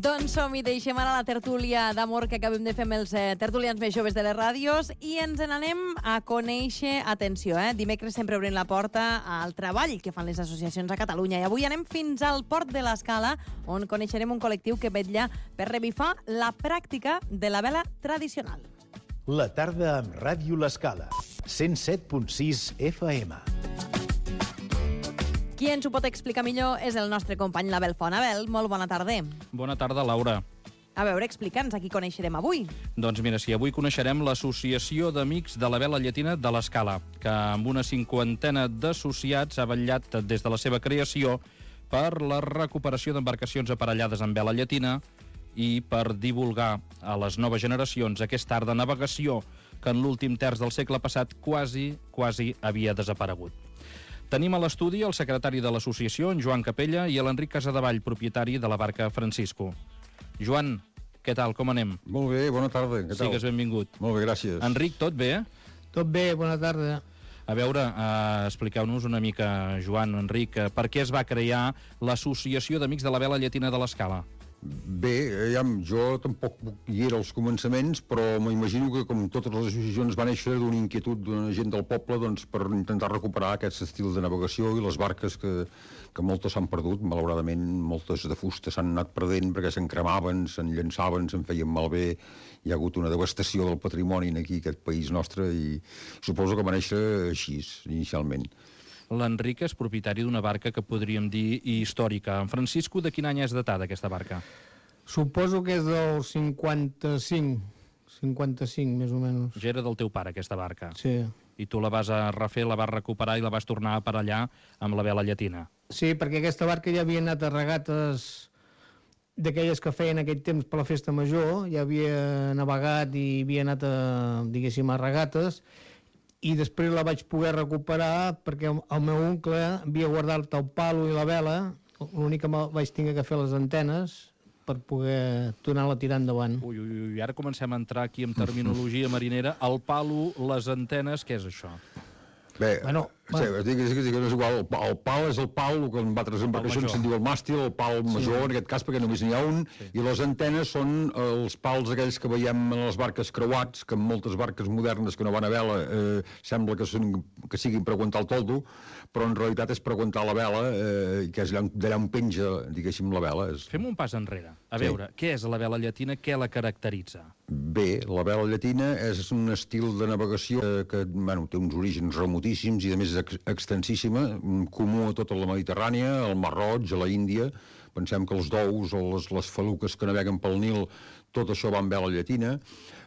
Doncs som-hi, deixem ara la tertúlia d'amor que acabem de fer amb els tertulians més joves de les ràdios i ens n'anem a conèixer, atenció, dimecres sempre obrim la porta al treball que fan les associacions a Catalunya i avui anem fins al Port de l'Escala on coneixerem un col·lectiu que vetlla per revifar la pràctica de la vela tradicional. La tarda amb Ràdio L'Escala, 107.6 FM. Qui ens ho pot explicar millor és el nostre company l'Abel Font. Abel, molt bona tarda. Bona tarda, Laura. A veure, explica'ns a qui coneixerem avui. Doncs mira, sí, avui coneixerem l'Associació d'Amics de la Vela Llatina de l'Escala, que amb una 50 d'associats ha vetllat des de la seva creació per la recuperació d'embarcacions aparellades amb vela llatina i per divulgar a les noves generacions aquest art de navegació que en l'últim terç del segle passat quasi havia desaparegut. Tenim a l'estudi el secretari de l'associació, en Joan Capella, i l'Enric Casadevall, propietari de la barca Francisco. Joan, què tal, com anem? Molt bé, bona tarda, què tal? Sigues benvingut. Molt bé, gràcies. Enric, tot bé? Tot bé, bona tarda. A veure, expliqueu-nos una mica, Joan, Enric, per què es va crear l'Associació d'Amics de la Vela Llatina de l'Escala? Bé, jo tampoc hi era als començaments, però m'imagino que com totes les associacions va néixer d'una inquietud d'una gent del poble doncs, per intentar recuperar aquest estil de navegació i les barques que moltes s'han perdut, malauradament moltes de fusta s'han anat perdent perquè se'n cremaven, se'n llançaven, se'n feien malbé, hi ha hagut una devastació del patrimoni aquí, aquest país nostre, i suposo que va néixer així, inicialment. L'Enric és propietari d'una barca que podríem dir històrica. En Francisco, de quin any és datada aquesta barca? Suposo que és del 55, més o menys. Ja era del teu pare, aquesta barca? Sí. I tu la vas a refer, la vas recuperar i la vas tornar a aparellar amb la vela llatina? Sí, perquè aquesta barca ja havia anat a regates d'aquelles que feien aquell temps per la festa major, ja havia navegat i havia anat a regates, i després la vaig poder recuperar perquè el meu oncle havia guardat el palo i la vela, l'únic que vaig tenir que fer les antenes per poder tornar-la a tirar endavant. Ui, ara comencem a entrar aquí en terminologia marinera. El palo, les antenes, què és això? Bé, és igual, el pal és el pal, el que en altres embarcacions se'n diu el màstil, el pal major, en aquest cas perquè només n'hi ha un, i les antenes són els pals aquells que veiem en les barques creuats, que en moltes barques modernes que no van a vela sembla que siguin per aguantar el toldo, però en realitat és per aguantar la vela, que és d'allà on penja, diguéssim, la vela. Fem un pas enrere. A veure, què és la vela llatina, què la caracteritza? Bé, la vela llatina és un estil de navegació que té uns orígens remotíssims i a més és extensíssima, comú a tota la Mediterrània, al Mar Roig, a la Índia. Pensem que els dous o les feluques que naveguen pel Nil, tot això va amb vela llatina.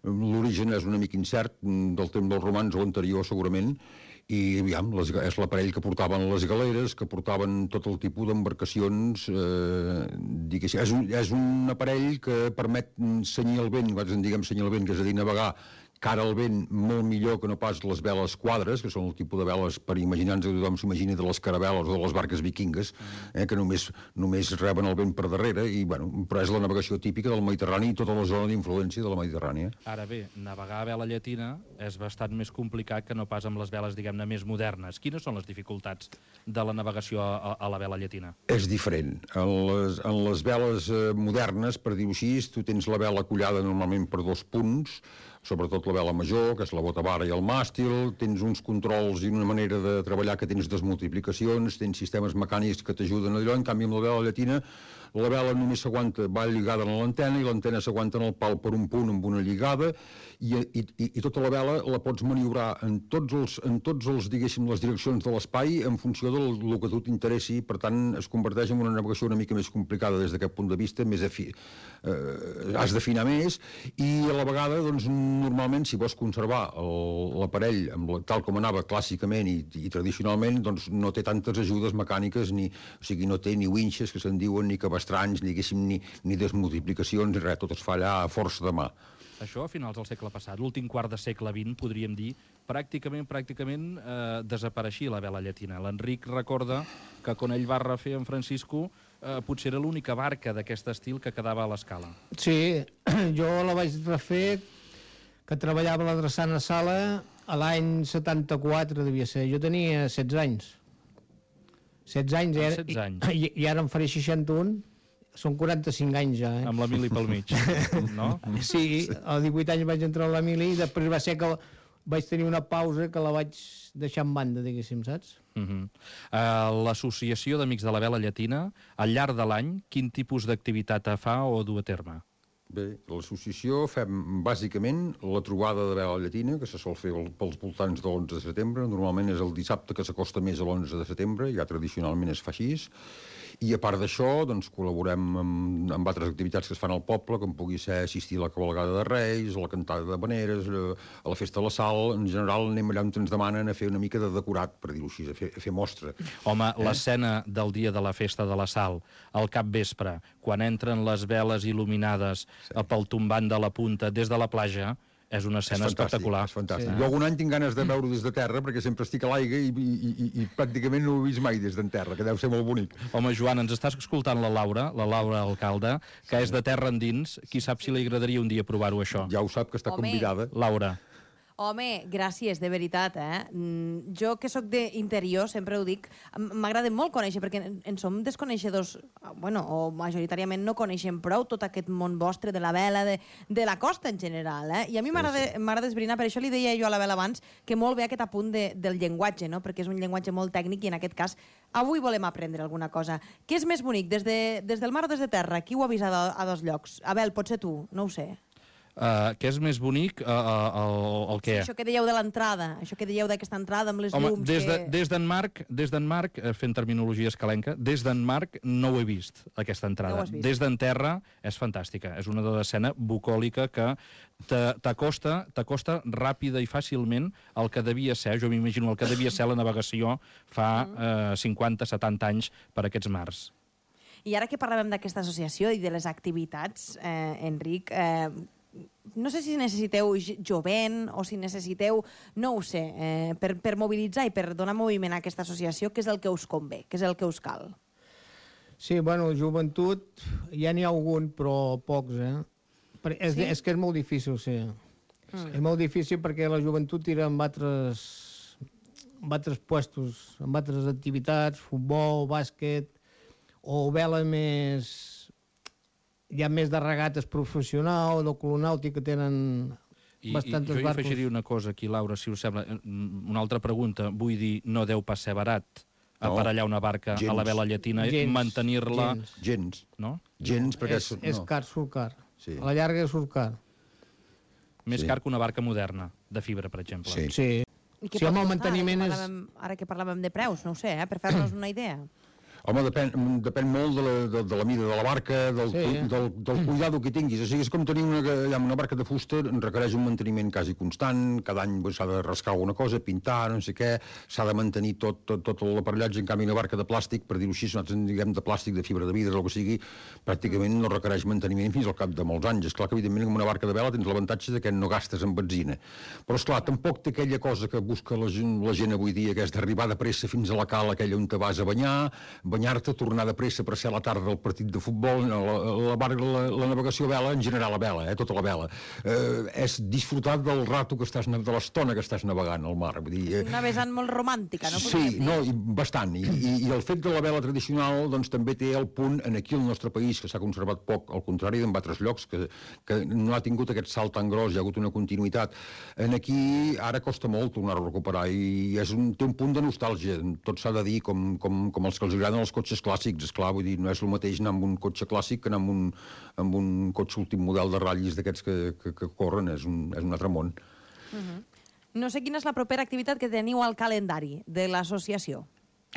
L'origen és una mica incert, del temps dels romans o anterior segurament, i és l'aparell que portaven les galeres, que portaven tot el tipus d'embarcacions, és un aparell que permet senyir el vent, nosaltres en diguem senyir el vent, que és a dir, navegar cara al vent molt millor que no pas les veles quadres, que són el tipus de veles per imaginar-nos que tothom s'imagini de les caravel·les o de les barques vikingues, que només reben el vent per darrere, però és la navegació típica del Mediterrani i tota la zona d'influència de la Mediterrània. Ara bé, navegar a vela llatina és bastant més complicat que no pas amb les veles, diguem-ne, més modernes. Quines són les dificultats de la navegació a la vela llatina? És diferent. En les veles modernes, per dir-ho així, tu tens la vela collada normalment per 2 punts, sobretot la vela major, que és la botavara i el màstil, tens uns controls i una manera de treballar que tens desmultiplicacions, tens sistemes mecànics que t'ajuden allò, en canvi amb la vela llatina la vela només s'aguanta, va lligada a l'antena i l'antena s'aguanta en el pal per un punt amb una lligada i tota la vela la pots maniobrar en tots els diguéssim, les direccions de l'espai en funció del que tu t'interessi, per tant es converteix en una navegació una mica més complicada des d'aquest punt de vista, has d'afinar més i a la vegada, doncs, normalment si vols conservar l'aparell tal com anava clàssicament i tradicionalment, doncs no té tantes ajudes mecàniques, o sigui, no té ni winxes que se'n diuen, ni cabestranys, ni desmultiplicacions, ni res, tot es fa allà a força de mà. Això a finals del segle passat, l'últim quart de segle XX, podríem dir, pràcticament desapareixia la vela llatina. L'Enric recorda que quan ell va refer en Francisco potser era l'única barca d'aquest estil que quedava a l'Escala. Sí, jo la vaig refer, que treballava a la Drassana Sala a l'any 74, devia ser. Jo tenia 16 anys. 16 anys, 16 anys. I ara em faré 61 Són 45 anys ja, Amb la mili pel mig, no? Sí, a 18 anys vaig entrar a la mili i després va ser que vaig tenir una pausa que la vaig deixar en banda, diguéssim, saps? L'Associació d'Amics de la Vela Llatina, al llarg de l'any, quin tipus d'activitat fa o du a terme? Bé, l'associació fem bàsicament la trobada de vela llatina, que se sol fer pels voltants de l'11 de setembre. Normalment és el dissabte que s'acosta més a l'11 de setembre, ja tradicionalment es fa així. I a part d'això, doncs, col·laborem amb altres activitats que es fan al poble, com pugui ser assistir a la cavalgada de Reis, a la cantada de Veneres, a la festa de la Sal. En general anem allà on ens demanen a fer una mica de decorat, per dir-ho així, a fer mostra. Home, l'escena del dia de la festa de la Sal, al capvespre, quan entren les veles il·luminades pel tombant de la punta des de la platja, és una escena espectacular. És fantàstic. Jo algun any tinc ganes de veure-ho des de terra, perquè sempre estic a l'aigua i pràcticament no ho he vist mai des d'en terra, que deu ser molt bonic. Home, Joan, ens estàs escoltant la Laura Alcalde, que és de terra endins. Qui sap si li agradaria un dia provar-ho, això? Ja ho sap, que està convidada. Laura. Home, gràcies, de veritat, Jo, que sóc d'interior, sempre ho dic, m'agrada molt conèixer, perquè en som desconeixedors, bueno, o majoritàriament no coneixem prou tot aquest món vostre de la vela, de la costa en general, I a mi m'agrada esbrinar, per això li deia jo a la vela abans, que molt bé aquest apunt del llenguatge, no? Perquè és un llenguatge molt tècnic i en aquest cas avui volem aprendre alguna cosa. Què és més bonic, des del mar o des de terra? Qui ho ha vist a dos llocs? Abel, potser tu, no ho sé. Què és més bonic, el què? Això que dèieu de l'entrada, això que dèieu d'aquesta entrada amb les llums... Des d'en Marc, fent terminologia escalenca, des d'en Marc no ho he vist, aquesta entrada. Des d'en terra és fantàstica. És una escena bucòlica que t'acosta ràpida i fàcilment el que devia ser, jo m'imagino el que devia ser la navegació fa 50-70 anys per aquests mars. I ara que parlàvem d'aquesta associació i de les activitats, Enric, no sé si necessiteu jovent o si necessiteu, no ho sé, per mobilitzar i per donar moviment a aquesta associació, què és el que us convé, què és el que us cal? Sí, bueno, joventut, ja n'hi ha algun, però pocs, És que és molt difícil, sí. És molt difícil perquè la joventut tira amb altres puestos, amb altres activitats, futbol, bàsquet, o vela més... Hi ha més de regates professional, de colonàutica, que tenen bastantes barcos. Jo hi afegiria una cosa aquí, Laura, si us sembla. Una altra pregunta. Vull dir, no deu pas ser barat aparellar una barca a la vela llatina i mantenir-la... Gens. No? Gens, perquè... És car, surt car. A la llarga surt car. Més car que una barca moderna, de fibra, per exemple. Sí. I què pot costar? Ara que parlàvem de preus, no ho sé, per fer-nos una idea. Home, depèn molt de la mida de la barca, del cuidado que tinguis. O sigui, és com tenir una barca de fusta, requereix un manteniment quasi constant, cada any s'ha de rascar alguna cosa, pintar, no sé què, s'ha de mantenir tot l'aparellatge. En canvi, una barca de plàstic, per dir-ho així, nosaltres en diguem de plàstic, de fibra de vidre, o el que sigui, pràcticament no requereix manteniment fins al cap de molts anys. Esclar que, evidentment, amb una barca de vela tens l'avantatge que no gastes en benzina. Però, esclar, tampoc té aquella cosa que busca la gent avui dia, que és d'arribar de pressa fins a la cala, aquella on te vas a banyar-te, tornar de pressa per ser a la tarda del partit de futbol, la navegació a vela, en general a vela, tota la vela, és disfrutar del rato que estàs, de l'estona que estàs navegant al mar. És una vessant molt romàntica, no? Sí, bastant. I el fet de la vela tradicional doncs, també té el punt, aquí al nostre país, que s'ha conservat poc, al contrari d'en altres llocs, que no ha tingut aquest salt tan gros, hi ha hagut una continuïtat. Aquí ara costa molt tornar-ho a recuperar i té un punt de nostàlgia. Tot s'ha de dir, com els que els agraden els cotxes clàssics, esclar, vull dir, no és el mateix anar amb un cotxe clàssic que anar amb un cotxe últim model de ratllis d'aquests que corren, és un altre món. No sé quina és la propera activitat que teniu al calendari de l'associació.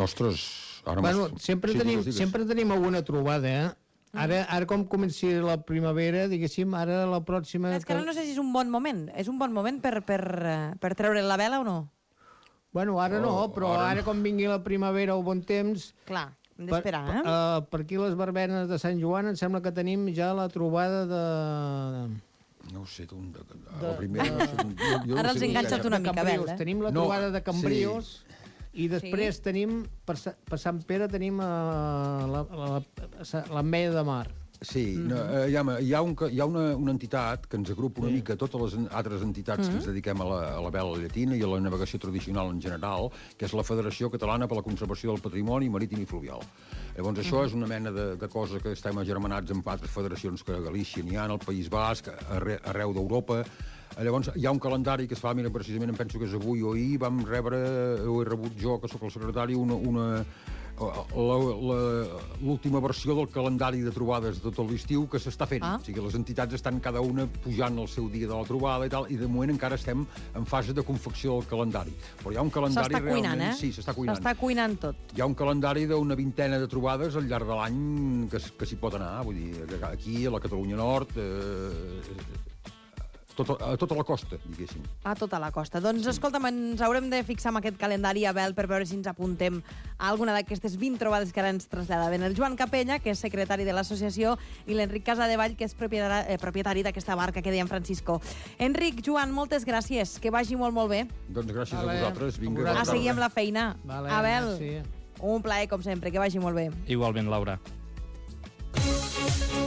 Ostres, ara... Bueno, sempre tenim alguna trobada, Ara com comenci la primavera, diguéssim, ara la pròxima... És que ara no sé si és un bon moment. És un bon moment per treure la vela o no? Bueno, ara no, però ara com vingui la primavera o bon temps... Clar, hem d'esperar, Per aquí les verbenes de Sant Joan em sembla que tenim ja la trobada de... No ho sé, la primera... Ara els enganxat una mica, Abel. Tenim la trobada de Cambrios i després tenim, per Sant Pere, tenim l'Ametlla de Mar. Sí, hi ha una entitat que ens agrupa una mica totes les altres entitats que ens dediquem a la vela llatina i a la navegació tradicional en general, que és la Federació Catalana per la Conservació del Patrimoni Marítim i Fluvial. Llavors, això és una mena de cosa que estem agermanats amb altres federacions que a Galícia n'hi ha, al País Basc, arreu d'Europa. Llavors, hi ha un calendari que es fa, mira, precisament em penso que és avui o ahir, vam rebre, ho he rebut jo, que sóc el secretari, l'última versió del calendari de trobades de tot l'estiu que s'està fent. O sigui, les entitats estan cada una pujant el seu dia de la trobada i tal, i de moment encara estem en fase de confecció del calendari. Però hi ha un calendari s'està cuinant, realment... Sí, s'està cuinant. S'està cuinant tot. Hi ha un calendari d'una vintena de trobades al llarg de l'any que s'hi pot anar. Vull dir, aquí, a la Catalunya Nord... a tota la costa, diguéssim. A tota la costa. Doncs, escolta'm, ens haurem de fixar amb aquest calendari, Abel, per veure si ens apuntem a alguna d'aquestes 20 trobades que ara ens traslladaven. El Joan Capella, que és secretari de l'associació, i l'Enric Casadevall, que és propietari d'aquesta barca que deia Francisco. Enric, Joan, moltes gràcies. Que vagi molt, molt bé. Doncs gràcies a vosaltres. Vinga, a seguir amb la feina. Vale, Abel, merci. un plaer, com sempre. Que vagi molt bé. Igualment, Laura.